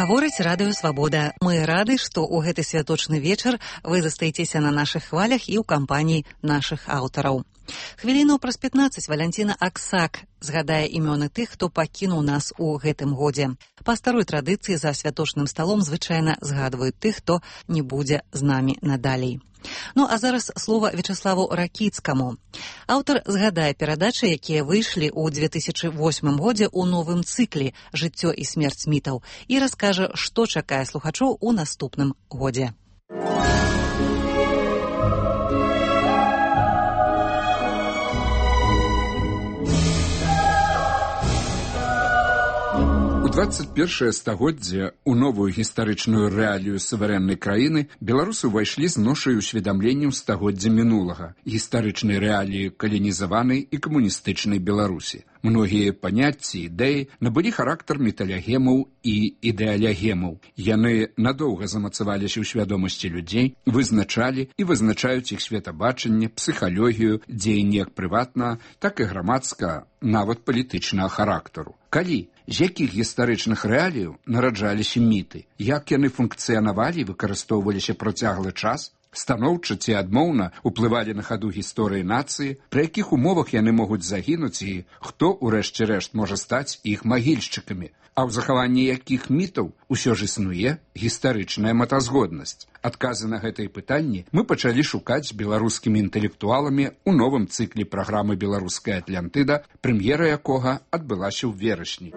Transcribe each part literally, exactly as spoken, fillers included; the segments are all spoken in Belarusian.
Гаворыць радыё «Свабода». Мы рады, што ў гэты святочны вечар вы застаецеся на нашых хвалях і ў кампаніі нашых аўтараў. Хвіліну праз пятнаццаць Валянціна Аксак згадае імёны тых, хто пакінуў нас у гэтым годзе. Па старой традыцыі за святочным сталом звычайна згадваюць тых, хто не будзе з намі надалей. Ну, а зараз слова Вячаславу Ракіцкаму. Аўтар згадае перадачы, якія выйшлі ў две тысячы восьмым годзе ў новым цыкле «Жыццё і смерць мітаў» і раскажа, што чакае слухачоў у наступным годзе. У двадцать першае стагоддзе ў новую гістарычную рэалію суверэннай краіны беларусы ўвайшлі з ношай усведамленняў стагоддзя мінулага, гістарычнай рэаліі каланізаванай і камуністычнай Беларусі. Многія паняцці, ідэі набылі характар металягемаў і ідэалягемаў. Яны надоўга замацаваліся ў свядомасці людзей, вызначалі і вызначаюць іх светабачанне, псіхалогію, дзеянні як прыватнага, так і грамадскага, нават палітычнага характару. Калі, з якіх гістарычных рэаліяў нараджаліся міты, як яны функцыянавалі і выкарыстоўваліся працяглы час, станоўча ці адмоўна ўплывалі на хаду гісторыі нацыі, пры якіх умовах яны могуць загінуць і хто, у рэшце рэшт, можа стаць іх магільшчыкамі, а ў захаванні якіх мітаў усё ж існуе гістарычная мэтазгоднасць. Адказы на гэтыя пытанні мы пачалі шукаць з беларускімі інтэлектуаламі ў новым цыкле праграмы «Беларуская Атлантыда», прэм'ера якога адбылася ў верасні.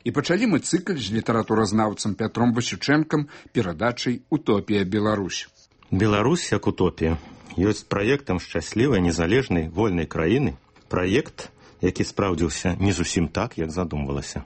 І пачалі мы цыкль з літаратуразнаўцам Пятром Васючэнкам перадачай «Утопія Беларусь». Беларусь як утопія ёсць праектам шчаслівай, незалежнай, вольнай краіны. Праект, які спраўдзіўся не зусім так, як задумвалася.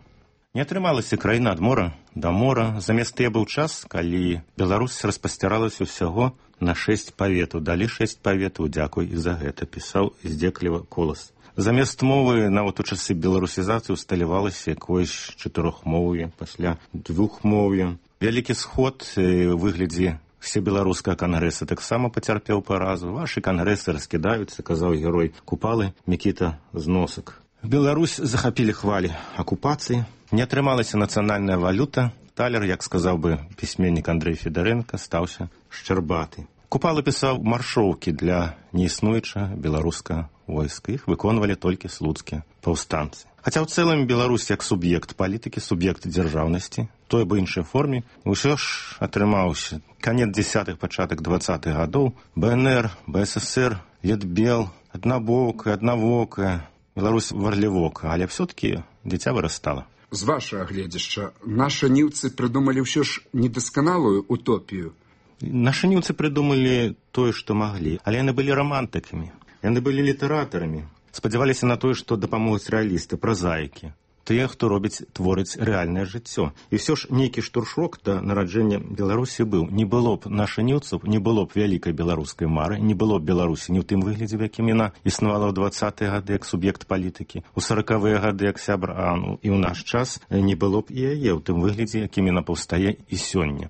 Не атрымалася краіна ад мора да мора. Замест тыя быў час, калі Беларусь распасцяралася ўсяго на шэсць паветаў. Далі шэсць паветаў, дзякуй і за гэта, пісаў здзекліва Колас. Замест мовы нават у часы беларусізацыі усталявалася якоюсь чатырохмоўе, пасля двухмоўе. Вялікі сход у выглядзе всебеларускага кангрэса таксама пацярпеў паразу. Вашы кангрэсы раскідаюцца, казаў герой Купалы Мікіта Зносак. Беларусь захапілі хвалі акупацыі. Не атрымалася нацыянальная валюта. Талер, як сказаў бы пісьменнік Андрэй Федарэнка, стаўся шчарбаты. Купала пісаў маршоўкі для неіснуючага беларускага войска. Іх выконвалі толькі слуцкія паўстанцы. Хаця ў цэлым Беларусь як суб'ект палітыкі, суб'ект дзяржаўнасці, той бы іншай форме, усё ж атрымаўся канец дзесятых, пачатак дваццатых гадоў. БНР, БССР, Летбел, аднабокая, аднавокая, Беларусь варлівока, але все-таки дзіця вырастала. З вашага гледзяшча, нашы ніўцы прыдумалі ўсё ж недасканалую утопію. Нашы ніўцы прыдумалі тое, што маглі, але яны былі рамантыкамі, яны былі літаратарамі, спадзяваліся на тое, што дапамогуць рэалісты, празаікі, тыя, хто робіць, творыць рэальнае жыццё. І ўсё ж нейкі штуршок да нараджэння Беларусі быў. Не было б наша ніўцаў, не было б вялікай беларускай мары, не было б Беларусі ні ў тым выглядзе, в якім яна існавала ў дваццатыя гады як суб'ект палітыкі, у саракавыя гады як сябр, а ну, і ў наш час не было б і яе ў тым выглядзе, якім яна паўстае і сёння.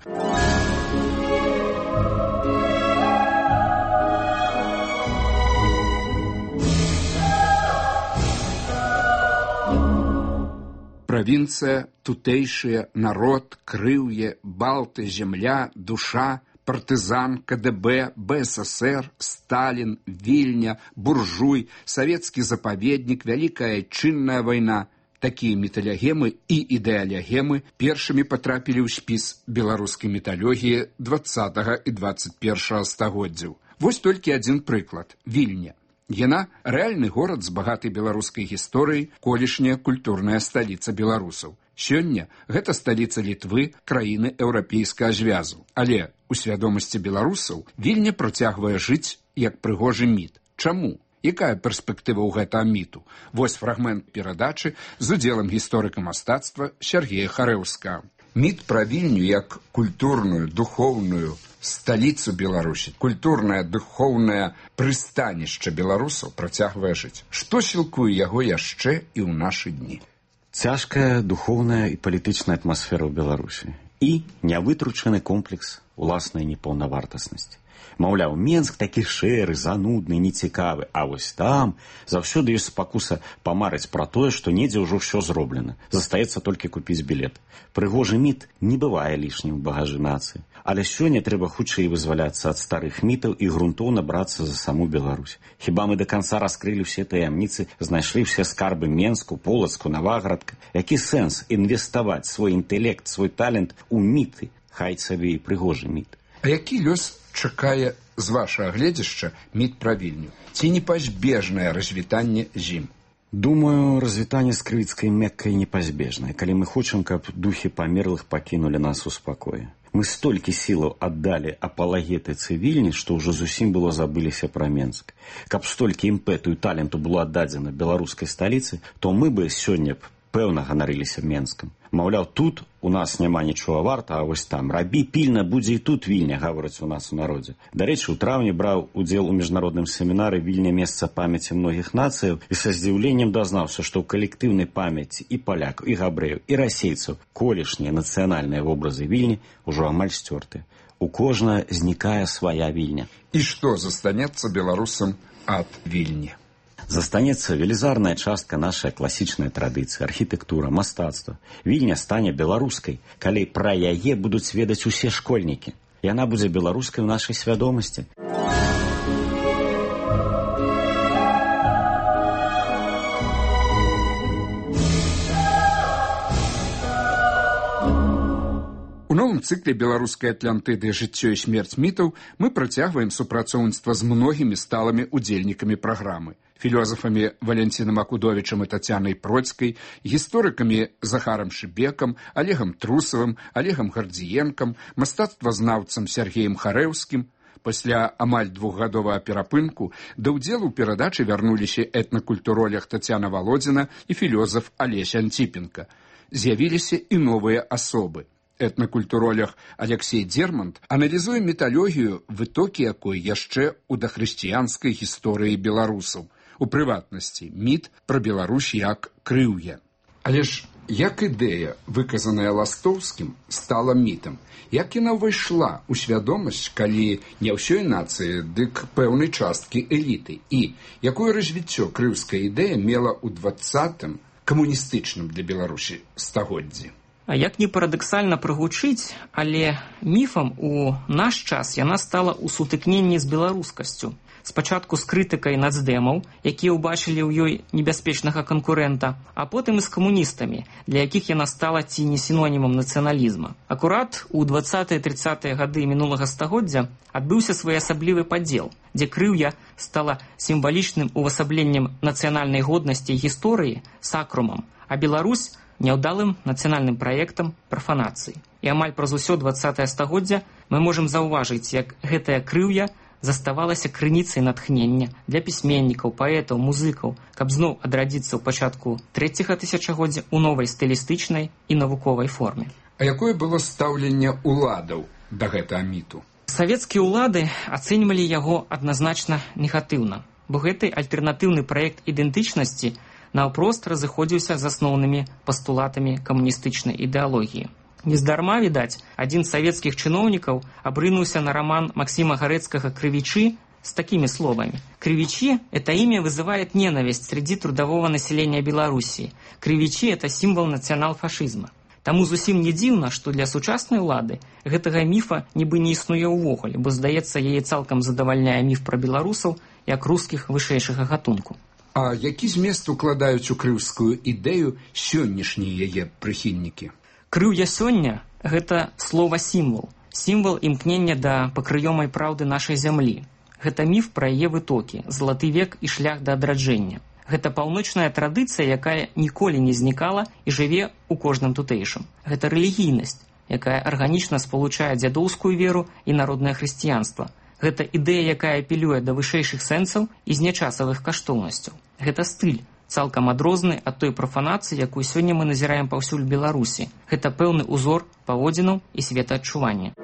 Правінцыя, тутэйшыя, народ, крыўе, балты, зямля, душа, партызан, КДБ, БССР, Сталін, Вільня, буржуй, савецкі запаведнік, вялікая чынная вайна. Такія металягемы і ідэалягемы першымі патрапілі ў спіс беларускай металогіі дваццатага і дваццаць першага стагоддзяў. Вось толькі адзін прыклад – Вільня. Яна – рэальны горад з багатай беларускай гісторыяй, колішняя культурная сталіца беларусаў. Сёння гэта сталіца Літвы, краіны еўрапейскага звязу. Але у свядомасці беларусаў Вільня працягвае жыць як прыгожы міт. Чаму? Якая перспектыва ў гэтага міту? Вось фрагмент перадачы з удзелам гісторыка мастацтва Сергея Харэўскага. Міт пра Вільню як культурную, духоўную сталіцу Беларусі, культурнае, духоўнае прыстанішча беларусаў працягвае жыць. Што сілкуе яго яшчэ і ў нашы дні? Цяжкая духоўная і палітычная атмасфера ў Беларусі і нявытручаны комплекс уласнай непаўнавартаснасці. Маўляў, Менск такі шэры, занудны, нецікавы, а вось там заўсёды ёсць спакуса памарыць пра тое, што недзе ўжо ўсё зроблена. Застаецца толькі купіць білет. Прыгожы міт не бывае лішнім у багажы нацыі. Але сёння трэба хутчэй вызваляцца ад старых мітаў і грунтоўна брацца за саму Беларусь. Хіба мы да канца раскрылі ўсе таямніцы, знайшлі ўсе скарбы Менску, Полацку, Наваградка? Які сэнс інвеставаць свой інтэлект, свой талент у міты, хай сабе і прыгожы міт? А які лёс чакае з вашага гледзяшча міт пра Вільню? Ці непазбежнае развітанне з ім? Думаю, развітанне з крывіцкай Меккай непазбежнае, калі мы хочам, каб духі памерлых пакінулі нас у спакоі. Мы столькі сілаў аддалі апалагетыцы Вільні, што ўжо зусім было забыліся пра Менск. Каб столькі імпэту і таленту было аддадзена беларускай сталіцы, то мы бы сёння б пэўна ганарыліся Менскам. Маўляў, тут у нас няма нічога варта, а вось там рабі пільна, будзе і тут Вільня, гавораць у нас у народзе. Дарэчы, у траўні браў удзел у міжнародным семінары «Вільня – месца памяці многіх нацыяў» і са здзіўленнем дазнаўся, што ў калектыўнай памяці і палякаў, і габрэяў, і расейцаў колішнія нацыянальныя вобразы Вільні ўжо амаль сцёртыя. У кожнага знікае свая Вільня. І што застанецца беларусам ад Вільні? Застанецца велізарная частка нашай класічнай традыцыі, архітэктура, мастацтва. Вільня стане беларускай, калі пра яе будуць ведаць усе школьнікі. Яна будзе беларускай у нашай свядомасці. У новым цыкле беларускай Атлантыды «Жыццё і смерць мітаў» мы працягваем супрацоўніцтва з многімі сталымі удзельнікамі праграмы. Філёзафамі Валянцінам Акудовічам і Тацянай Процкай, гісторыкамі Захарам Шыбекам, Олегам Трусавым, Олегам Гардзіенкам, мастацтвазнаўцам Сергеем Харэўскім. Пасля амаль двухгадовага перапынку да ўдзелу ў перадачы вярнуліся этнакультуролог Тацяна Валодзіна і філёзаф Алесь Антипенко. З'явіліся і новыя асобы. Этнакультуролог Алексей Дермант аналізуе міталогію, вытокі якой яшчэ ў дахрысціянскай гісторыі беларусаў. У прыватнасці, міт пра Беларусь як крыўе. Але ж як ідэя, выказаная Ластоўскім, стала мітам? Як яна ўвайшла ў свядомасць, калі не ўсёй нацыі, дык пэўнай часткі эліты? І якое развіццё крыўская ідэя мела ў дваццатым камуністычным для Беларусі стагоддзі? А як не парадаксальна прагучыць, але міфам у наш час яна стала ў сутыкненні з беларускасцю. Спачатку з крытыкай нацдэмаў, якія ўбачылі ў ёй небяспечнага канкурэнта, а потым і з камуністамі, для якіх яна стала ці не сінонімам нацыяналізма. Акурат у дваццатыя-трыццатыя гады мінулага стагоддзя адбыўся своеасаблівы падзел, дзе крыўя стала сімвалічным увасабленнем нацыянальнай годнасці і гісторыі, сакрумам, а Беларусь няўдалым нацыянальным праектам прафанацыі. І амаль праз усё дваццатае стагоддзя мы можам заўважыць, як гэтая крыўя заставалася крыніцай натхнення для пісьменнікаў, паэтаў, музыкаў, каб зноў адрадзіцца ў пачатку трэцяга тысячагоддзя ў новай стылістычнай і навуковай форме. А якое было стаўленне ўладаў да гэтага міту? Савецкія ўлады ацэньвалі яго адназначна негатыўна, бо гэты альтэрнатыўны праект ідэнтычнасці наўпрост разыходзіўся з асноўнымі пастулатамі камуністычнай ідэалогіі. Нездарма, відаць, адзін з савецкіх чыноўнікаў абрынуўся на роман Максима Гарэцкага «Крывичи» с такими словами. «Кривичи – это имя вызывает ненависть среди трудового населения Белоруссии. Кривичи – это символ национал-фашизма». Таму зусім не дзіўна, што для сучаснай улады гэтага міфа нібы не існуе ўвогуле, бо, здаецца, яе цалкам задавальняе міф пра беларусаў як рускіх вышэйшага гатунку. А які змест укладаюць у крыўскую ідэю сённяшнія яе прыхільнікі? Крыўя сёння – гэта слова-сімвал, сімвал імкнення да пакрыёмай праўды нашай зямлі. Гэта міф пра яе вытокі, залаты век і шлях да адраджэння. Гэта паўночная традыцыя, якая ніколі не знікала і жыве ў кожным тутэйшым. Гэта рэлігійнасць, якая арганічна спалучае дзядоўскую веру і народнае хрысціянства. Гэта ідэя, якая апелюе да вышэйшых сэнсаў і знячасавых каштоўнасцяў. Гэта стыль, цалкам адрозны ад той прафанацыі, якую сёння мы назіраем паўсюль Беларусі. Гэта пэўны узор паводзінаў і светаадчування.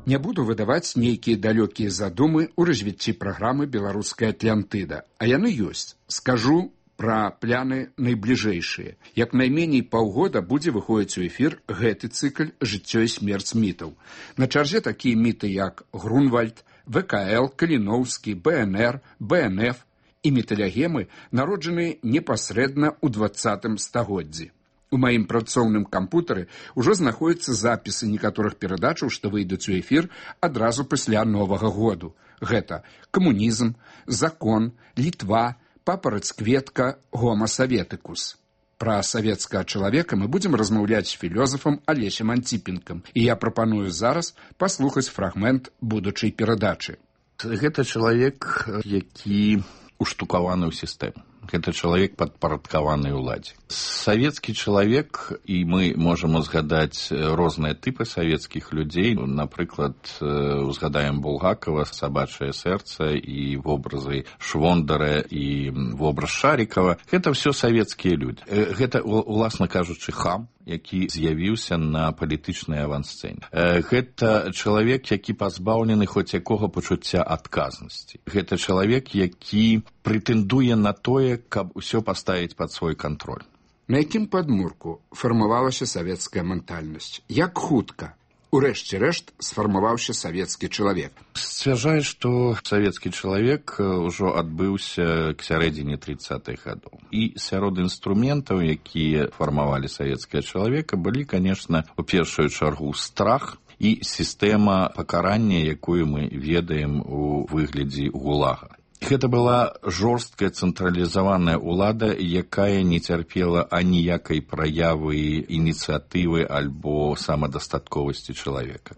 Не буду выдаваць нейкія далёкія задумы ў развіцці праграмы «Беларуская Атлантыда», а яны ёсць. Скажу пра пляны найбліжэйшыя. Як найменей паўгода будзе выходзіць у эфір гэты цыкль «Жыццё і смерць мітаў». На чарзе такія міты, як Грунвальд, вэ ка эл, Каліноўскі, бэ эн эр, бэ эн эф і міталягемы, народжаныя непасрэдна ў дваццатым стагоддзі. У маім працоўным кампутары ўжо знаходзяцца запісы некаторых перадачаў, што выйдуць у эфір адразу пасля Новага году. Гэта камунізм, закон, Літва, папараць-кветка, гома саветыкус. Пра савецкага чалавека мы будзем размаўляць з філёзафам Алесем Антипенкам, і я прапаную зараз паслухаць фрагмент будучай перадачы. Гэта чалавек, які уштукаваны ў сістэму. Гэта чалавек падпарадкаваны ўладзе. Савецкі чалавек, і мы можам узгадаць розныя тыпы савецкіх людзей. Напрыклад, узгадаем Булгакова, «Сабачае сэрца» і вобразы Швондара і вобраз Шарікава. Гэта ўсё савецкія людзі. Гэта, уласна кажучы, хам, які з'явіўся на палітычнай авансцэне. Гэта чалавек, які пазбаўлены хоць якога пачуцця адказнасці. Гэта чалавек, які прэтэндуе на тое, каб усё паставіць пад свой кантроль. На якім падмурку фармавалася савецкая ментальнасць? Як хутка, урэшце рэшт, сфармаваўся савецкі чалавек? Сцвярджае, што савецкі чалавек ўжо адбыўся к сярэдзіне трыццатых гадоў. І сярод інструментаў, якія фармавалі савецкага чалавека, былі, канешне, у першую чаргу страх і сістэма пакарання, якую мы ведаем у выглядзе гулага. Гэта была жорсткая цэнтралізаваная ўлада, якая не цярпела аніякай праявы ініцыятывы альбо самадастатковасці чалавека.